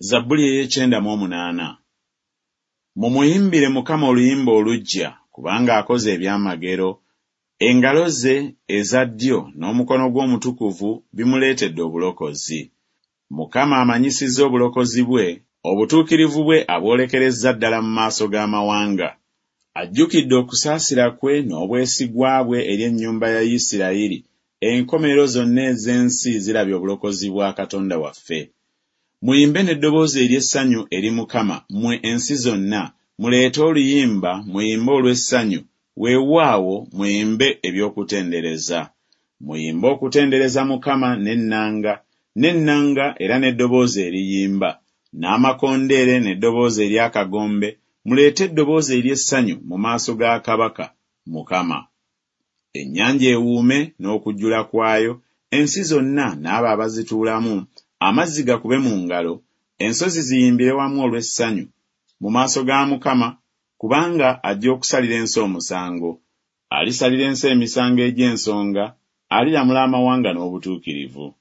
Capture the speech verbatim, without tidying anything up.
Zabbuli ey'ekyenda mu omunaana. Mumuyimbire Mukama oluyimba oluggya, kubanga akoze ebyamagero, engalo ze eza ddyo n'omukono gwe omutukuvu bimuleetedde obulokozi. Mukama amanyisizza obulokozi bwe, obutuukirivu bwe abwolekerezza ddala mu maaso g'amawanga. Ajjukidde okusaasira kwe n'obwesigwa bwe eri ennyumba ya Isirayiri, enkomerero zonna ez'ensi zirabye obulokozi bwa Katonda waffe. Muyimbe n'eddoboozi ery'essanyu eri Mukama, mmwe ensi zonna, muleete oluyimba, muyimbe olw'essanyu, weewaawo muyimbe eby'okutendereza. Muyimbe okutendereza Mukama n'ennanga, n'ennanga era n'eddoboozi eriyimba, n'amakondeere n'eddoboozi ery'akagombe, muleete eddoboozi ery'essanyu mu maaso ga Kabaka, Mukama. Ennyanja ewuume n'okujjula kwayo, ensi zonna n'abo abazituulamu, amazzi gakube mu ngalo, ensozi ziyimbire wamu olw'essanyu mu maaso ga Mukama, kubanga ajja okusalira ensi omusango. Alisalira ensi emisango egy'ensonga, aliramula amawanga n'obutuukirivu.